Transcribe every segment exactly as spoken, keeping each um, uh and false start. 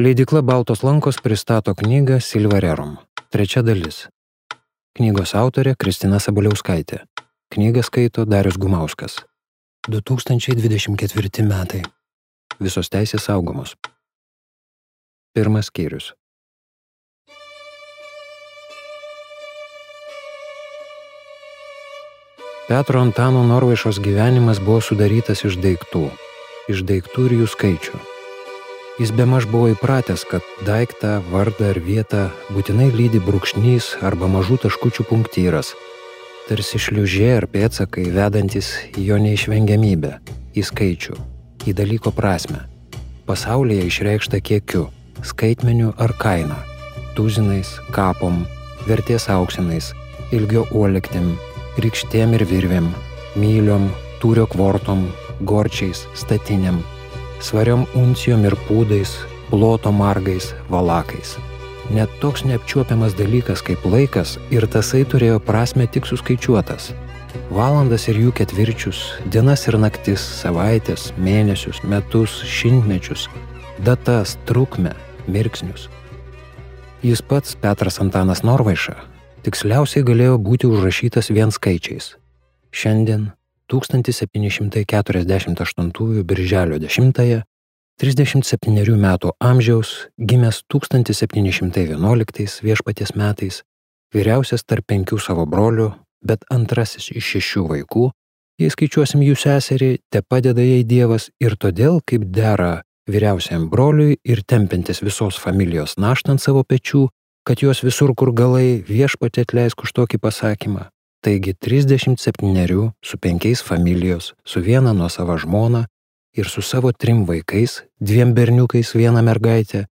Leidykla Baltos lankos pristato knygą Silva Rerum. Trečia dalis. Knygos autorė Kristina Sabaliauskaitė. Knygą skaito Darius Gumauskas. du tūkstančiai dvidešimt ketvirti metai. Visos teisės saugomos. Pirmas skyrius. Petro Antano Norvaišos gyvenimas buvo sudarytas iš daiktų, iš daiktų ir jų skaičių. Jis bemaž buvo įpratęs, kad daiktą, vardą ar vietą būtinai lydi brūkšnys arba mažų taškučių punktyras, tarsi šliužė ar pėdsakai vedantis į jo neišvengiamybę, į skaičių, į dalyko prasmę, pasaulyje išreikštą kiekiu, skaitmeniu ar kaina, tuzinais, kapom, vertės auksinais, ilgio uolektim, rykštėm ir virvėm, myliom, tūrio kvortom, gorčiais, statiniam, svariom uncijom ir pūdais, ploto margais, valakais. Net toks neapčiuopiamas dalykas kaip laikas ir tasai turėjo prasme tik suskaičiuotas. Valandas ir jų ketvirčius, dienas ir naktis, savaitės, mėnesius, metus, šimtmečius, datas, trukmę, mirksnius. Jis pats, Petras Antanas Norvaiša, tiksliausiai galėjo būti užrašytas vien skaičiais. Šiandien, tūkstantis septyni šimtai keturiasdešimt aštuntųjų birželio dešimtąją, trisdešimt septynerių metų amžiaus, gimęs tūkstantis septyni šimtai vienuoliktais viešpaties metais, vyriausias tarp penkių savo brolių, bet antrasis iš šešių vaikų, jei skaičiuosim jų seserį, te padeda jai Dievas ir todėl, kaip dera vyriausiam broliui ir tempiantis visos familijos naštą ant savo pečių, kad jos visur kur galai viešpatį atleisk už tokį pasakymą. Taigi trisdešimt septynerių su penkiais familijos, su viena nuosava žmona ir su savo trim vaikais, dviem berniukais, viena mergaitė,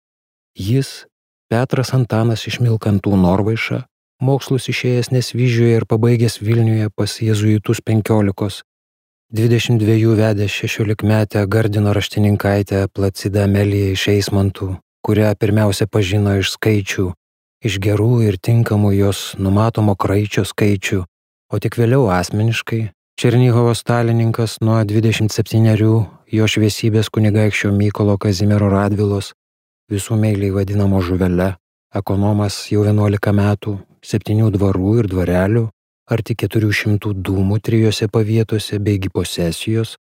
jis, Petras Antanas iš Milkantų Norvaiša, mokslus išėjęs Nesvyžiuje ir pabaigęs Vilniuje pas jėzuitus penkiolikos, dvidešimt dviejų vedęs šešiolikmetę Gardino raštininkaitę Placidą Ameliją iš Eismantų, kurią pirmiausia pažino iš skaičių, iš gerų ir tinkamų jos numatomo kraičio skaičių, o tik vėliau asmeniškai Černigovo stalininkas nuo dvidešimt septynerių jo šviesybės kunigaikščio Mykolo Kazimiero Radvilos, visų meiliai vadinamo Žuvele, ekonomas jau vienuolika metų, septynių dvarų ir dvarelių, arti keturių šimtų dūmų trijose pavietose beigi posesijos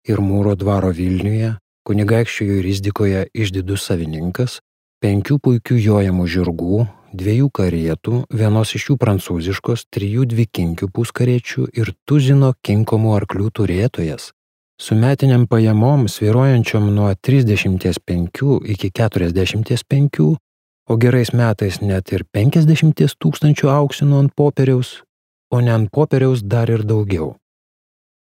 ir Mūro dvaro Vilniuje, kunigaikščio jurisdikoje išdidus savininkas, penkių puikių jojamų žirgų, dviejų karietų, vienos iš jų prancūziškos, trijų dvikinkių puskariečių ir tuzino kinkomų arklių turėtojas, su metiniam pajamom svyruojančiom nuo trisdešimt penkių iki keturiasdešimt penkių, o gerais metais net ir penkiasdešimt tūkstančių auksinų ant popieriaus, o ne ant popieriaus dar ir daugiau.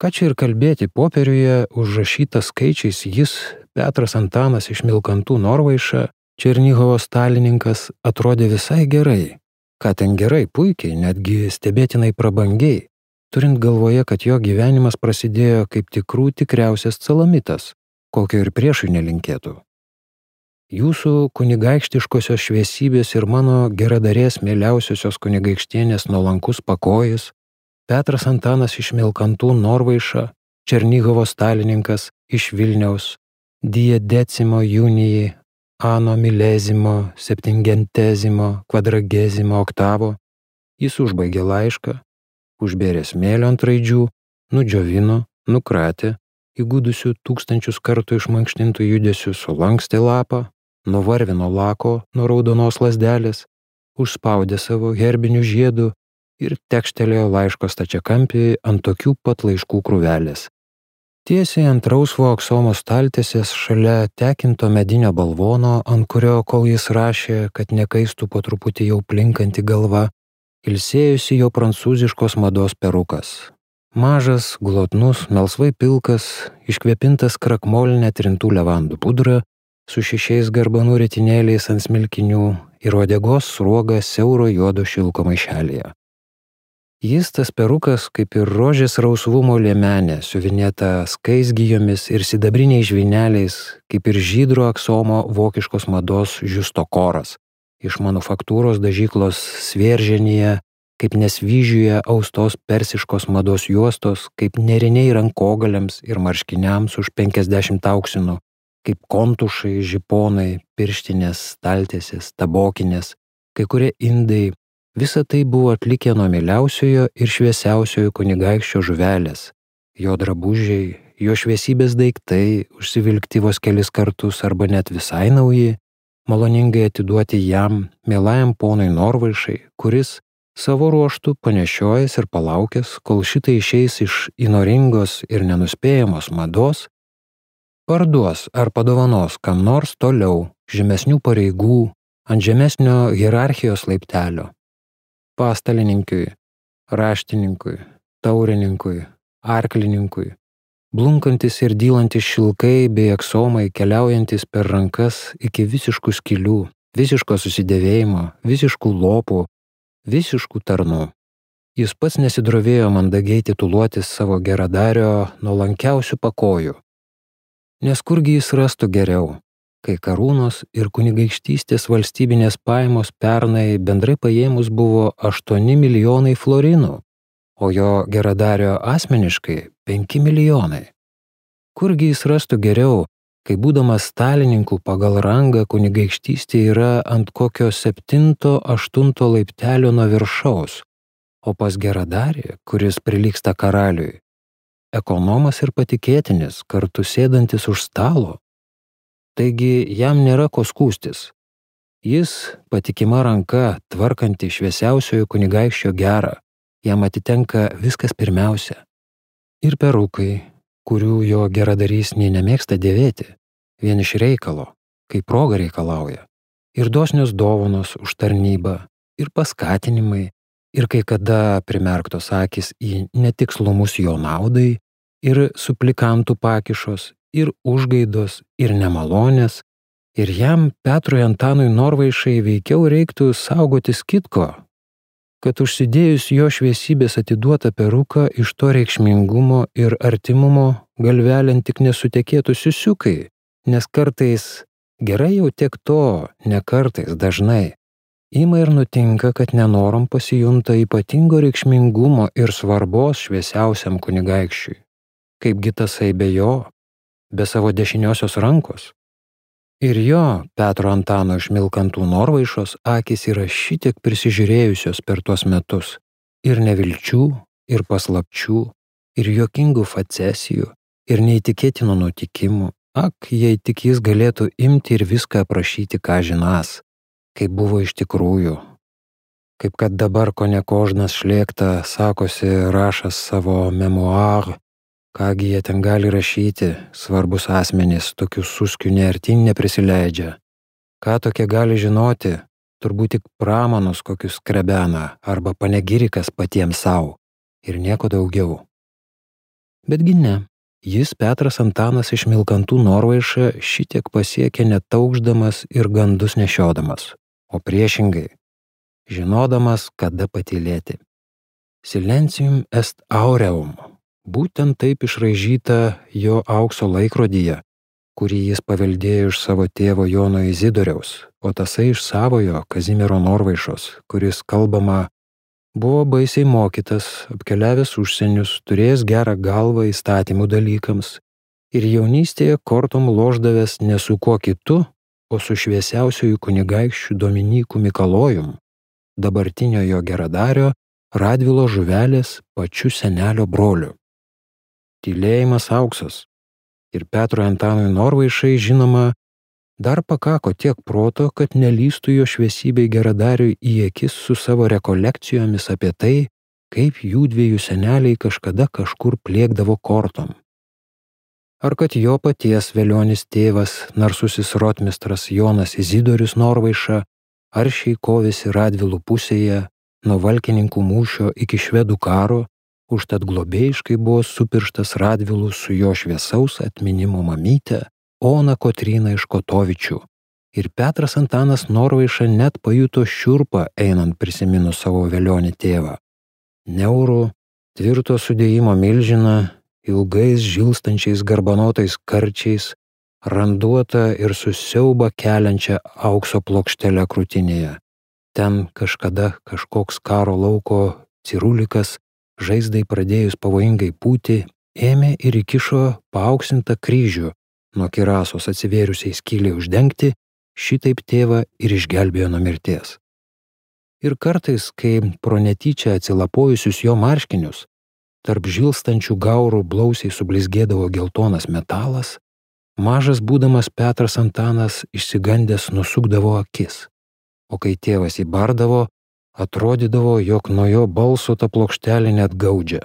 Ką čia ir kalbėti, popieriuje užrašytas skaičiais jis, Petras Antanas iš Milkantų Norvaiša, Černigovo stalininkas, atrodė visai gerai. Ką ten gerai, puikiai, netgi stebėtinai prabangiai, turint galvoje, kad jo gyvenimas prasidėjo kaip tikrų tikriausias calamitas, kokio ir priešui nelinkėtų. Jūsų kunigaikštiškosios šviesybės ir mano geradarės mieliausiosios kunigaikštienės nuolankus pakojis, Petras Antanas iš Milkantų Norvaiša, Černigovo stalininkas iš Vilniaus, die decimo junijai, ano milezimo, septingentezimo, kvadragezimo oktavo, jis užbaigė laišką, užbėrė smėlio ant raidžių, nudžiovino, nukratė, įgudusių tūkstančius kartų išmankštintų judesių sulankstė lapą, nuvarvino lako nuo raudonos lazdelės, užspaudė savo herbinių žiedų ir tekštelėjo laiško stačiakampį ant tokių pat laiškų krūvelės. Tiesiai ant rausvo aksomo staltiesės šalia tekinto medinio balvono, ant kurio, kol jis rašė, kad nekaistų po truputį jau plinkanti galva, ilsėjusi jo prancūziškos mados perukas. Mažas, glotnus, melsvai pilkas, iškvėpintas krakmolinę trintų levandų pudrą, su šešiais garbanų ritinėliais ant smilkinių ir uodegos sruoga siauro juodo šilko maišelėje. Jis, tas perukas, kaip ir rožės rausvumo liemenė, siuvinėta skaisgijomis ir sidabriniais žvyneliais, kaip ir žydro aksomo vokiškos mados žiusto koras, iš manufaktūros dažyklos Svėrženyje, kaip Nesvyžiuje austos persiškos mados juostos, kaip neriniai rankogaliams ir marškiniams už penkiasdešimt auksinų, kaip kontušai, žiponai, pirštinės, staltiesės, tabokinės, kai kurie indai. Visa tai buvo atlikę nuo mieliausiojo ir šviesiausiojo kunigaikščio žuvelės. Jo drabužiai, jo šviesybės daiktai, užsivilkti vos kelis kartus arba net visai nauji, maloningai atiduoti jam, mielajam ponui Norvaišai, kuris savo ruoštų panešiojęs ir palaukęs, kol šitai išeis iš įnoringos ir nenuspėjamos mados, parduos ar padovanos kam nors toliau, žemesnių pareigų, ant žemesnio hierarchijos laiptelio. Pastalininkiui, raštininkui, taurininkui, arklininkui, blunkantis ir dylantis šilkai bei aksomai keliaujantis per rankas iki visiškų skylių, visiško susidėvėjimo, visiškų lopų, visiškų tarnų. Jis pats nesidrovėjo mandagiai tituluotis savo geradario nuolankiausių pakojų. Nes kurgi jis rastų geriau, kai karūnos ir kunigaikštystės valstybinės pajamos pernai bendrai paėmus buvo aštuoni milijonai florinų, o jo geradario asmeniškai penki milijonai. Kurgi jis rastų geriau, kai būdamas stalininku pagal rangą kunigaikštystė yra ant kokio septinto, aštunto laiptelio nuo viršaus, o pas geradarį, kuris prilygsta karaliui, ekonomas ir patikėtinis, kartu sėdantis už stalo. Taigi jam nėra ko skųstis. Jis patikima ranka, tvarkanti šviesiausiojo kunigaikščio gerą, jam atitenka viskas pirmiausia. Ir perukai, kurių jo geradarys nė nemėgsta dėvėti, vien iš reikalo, kai proga reikalauja, ir dosnios dovanos už tarnybą, ir paskatinimai, ir kai kada primerktos akis į netikslumus jo naudai, ir suplikantų pakišos, ir užgaidos, ir nemalonės, ir jam, Petrui Antanui Norvaišai, veikiau reiktų saugotis kitko, kad užsidėjus jo šviesybės atiduotą peruką iš to reikšmingumo ir artimumo galvelėn tik nesutekėtų siusiukai, nes kartais, gerai jau tiek to, ne kartais, dažnai, ima ir nutinka, kad nenorom pasijunta ypatingo reikšmingumo ir svarbos šviesiausiam kunigaikščiui. Kaipgi tasai be jo, be savo dešiniosios rankos. Ir jo, Petro Antano išmilkantų Norvaišos, akys yra šitiek prisižiūrėjusios per tuos metus. Ir nevilčių, ir paslapčių, ir juokingų facesijų, ir neįtikėtinų nutikimų. Ak, jei tik jis galėtų imti ir viską aprašyti, ką žinas, kaip buvo iš tikrųjų. Kaip kad dabar kone Kožnas Šlėkta sakosi rašas savo memuarų, kągi jie ten gali rašyti, svarbus asmenys tokių suskių neartin neprisileidžia. Ką tokie gali žinoti, turbūt tik pramanus kokius skrebena arba panegirikas patiems savo ir nieko daugiau. Betgi ne, jis Petras Antanas išmilkantų Norvaišą šitiek pasiekė netaukšdamas ir gandus nešiodamas, o priešingai, žinodamas, kada patylėti. Silencium est aureum. Būtent taip išraižyta jo aukso laikrodyje, kurį jis paveldėjo iš savo tėvo Jono Izidoriaus, o tasai iš savojo Kazimiero Norvaišos, kuris, kalbama, buvo baisiai mokytas, apkeliavęs užsienius, turėjęs gerą galvą įstatymų dalykams ir jaunystėje kortom lošdavęs ne su kuo kitu, o su šviesiausiųjų kunigaikščių Dominyku Mikalojum, dabartinio jo geradario Radvilo žuvelės pačiu senelio broliu. Tylėjimas auksas. Ir Petrui Antanui Norvaišai, žinoma, dar pakako tiek proto, kad nelystų jo šviesybei geradariui į akis su savo rekolekcijomis apie tai, kaip jų dviejų seneliai kažkada kažkur pliekdavo kortom. Ar kad jo paties velionis tėvas, narsusis rotmistras Jonas Izidorius Norvaiša, aršiai kovėsi Radvilų pusėje nuo valkininkų mūšio iki švedų karo, užtat globėjiškai buvo supirštas Radvilų su jo šviesaus atminimo mamyte Ona Kotryna iš Kotovičių. Ir Petras Antanas Norvaiša net pajuto šiurpą einant prisiminus savo velionį tėvą. Neurų, tvirto sudėjimo milžiną, ilgais žilstančiais garbanotais karčiais, randuotą ir susiaubą keliančią aukso plokštelę krūtinėje. Ten kažkada kažkoks karo lauko cirulikas, žaizdai pradėjus pavojingai pūti, ėmė ir įkišo paauksinta kryžių nuo kirasos atsivėrusiai skylei uždengti, šitaip tėvą ir išgelbėjo nuo mirties. Ir kartais, kai pro netyčia atsilapojusius jo marškinius, tarp žilstančių gaurų blausiai sublizgėdavo geltonas metalas, mažas būdamas Petras Antanas išsigandęs nusukdavo akis, o kai tėvas įbardavo, atrodydavo, jog nuo jo balso ta plokštelė net gaudžia.